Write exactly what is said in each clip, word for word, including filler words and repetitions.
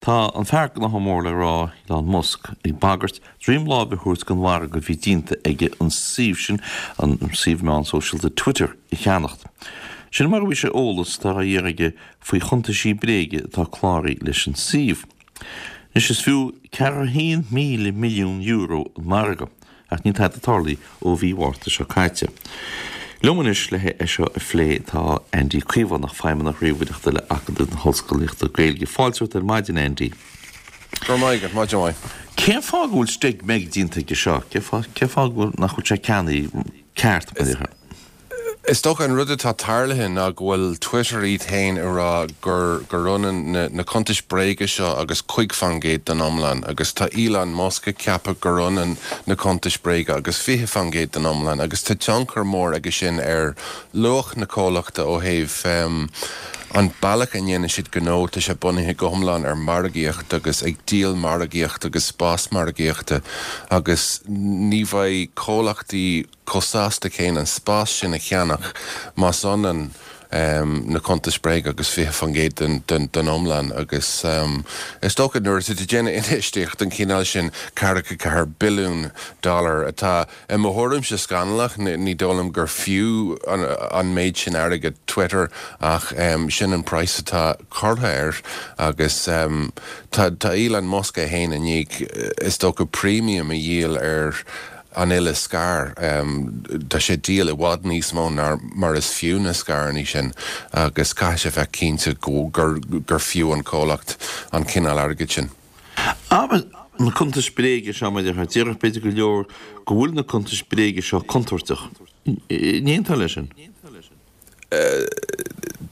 Tá an fear gnoithe mór le rá, Elon Musk, ag bagairt droim láimhe a thabhairt don mhargadh a bhí déanta aige an suíomh sin, an suíomh meán sóisialta Twitter, a cheannacht. Sin mar a bhí sé eolas atá á iarraidh aige faoi chuntaisí bréige atá cláraithe leis an suíomh. Anois is fiú ceathracha a haon míle milliún euro an margadh, ach níl tada tarlaithe ó mhí Mhárta seo caite. Liom anois le é seo a phlé tá Andy Caomhánach, Feidhmeannach Ríomhaireachta le Acadamh na hOllscolaíochta Gaeilge. Fáilte romhat ar maidin, Andy. Go raibh maith agat, maidin mhaith. Cén fáth go bhfuil steig meig déanta aige seo? Cén fáth cén fáth go bhfuil nach bhfuil sé ceannaithe ceart, mar a déarfá? Is dócha an rud atá tarlaithe ná go bhfuil Twitter iad féin ag rá gur gur ionann na na cuntais bréige seo agus cúig faoin gcéad den iomlán agus tá Elon Musk ag ceapadh gur ionann na cuntais bréige agus fiche faoin gcéad den iomlán agus tá tionchar mór aige sin ar luach na comhlachta ó thaobh an bealach a ndéanann siad gnó. Tá sé bunaithe go hiomlán ar margaíocht agus ag díol margaíocht agus spás margaíochta agus ní bheidh comhlachtaí chomh sásta céanna an spás sin a cheannach más ionann na cuntais bréige agus fiche faoin gcéad den den iomlán agus is dócha nuair atá tú ag déanamh infheistíocht den chineál sin, ceathracha ceathair billiún dollar, atá i mo thuairimse scannalach, ní dóigh liom gur fiú an méid sin airgid Twitter ach sin an praghas atá curtha air agus tá tá Elon Musk é féin i ndiaidh is dócha premium a dhíol ar an uile scair. Tá sé ag díol i bhfad níos mó ná mar is fiú na scaireanna sin agus caithfidh sé bheith cinnte gur gur fiú an comhlacht an cineál airgid sin. Abair na cuntais bréige seo, mar a déarfá, déarfadh b'fhéidir go leor go bhfuil na cuntais bréige seo contúirteach. An aontófá leis sin?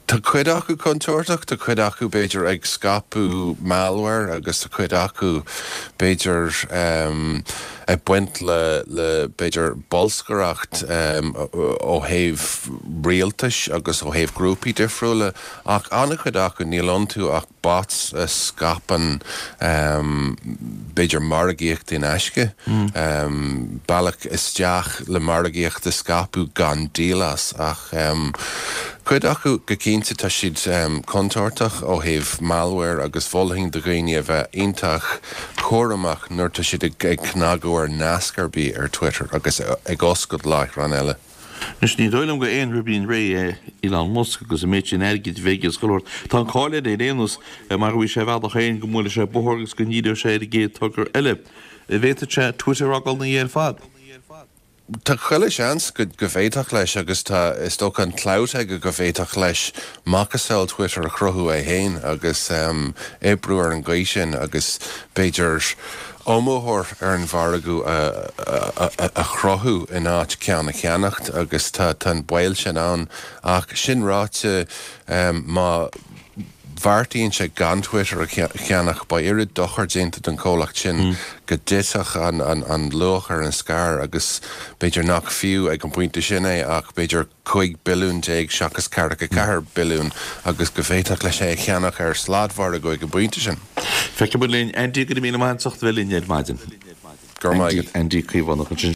Tá cuid acu contúirteach, tá cuid acu b'fhéidir ag scaipeadh malware agus tá cuid acu b'fhéidir ag baint le le b'fhéidir bolscaireacht ó thaobh rialtais agus ó thaobh grúpaí difriúla ach an-chuid acu níl iontu ach bots a scaipeann b'fhéidir margaíocht in aisce, bealach isteach le margaíocht a scaipeadh gan díol as ach cuid acu go cinnte tá siad contúirteach ó thaobh malware agus mholfainn do dhaoine a bheith iontach cúramach nuair tá siad ag cnagadh ar nasc ar bith ar Twitter agus ag oscailt láithreán eile. Anois, ní dóigh liom gur aon ribín réidh é Elon Musk agus an méid sin airgid a bheith aige is chuile shórt. Tá an cáil air ar aon nós mar a bhí sé a bhealach féin go mbuailfeadh sé bóthar agus go ndíreodh sé ar an gcéad togra eile. An bhféadfadh sé Twitter a fhágáil ina dhiaidh ar fad. Tá chuile sheans go bhféadfadh leis agus tá, is dócha, an clout aige go bhféadfadh leis macasamhail Twitter a chruthú é féin agus oibriú ar an gcaoi sin agus b'fhéidir iomaitheoir ar an mhargadh a chruthú in áit ceann a cheannacht agus tá an baol sin ann. Ach sin ráite, má bheartaíonn sé gan Twitter a cheannach, beidh oiread dochair déanta don chomhlacht sin go dtitfeadh an luach ar an scair agus b'fhéidir nach fiú ag an bpointe sin é ach b'fhéidir cúig billiún déag seachas ceathracha ceathair billiún agus go bhféadfadh leis é a cheannach ar sladmhargadh ag an bpointe sin. Feicfidh muid linn. Andy, go raibh míle maith agat as ucht a bheith linn ar maidin. Go raibh maith agat. Andy Caomhánach ansin.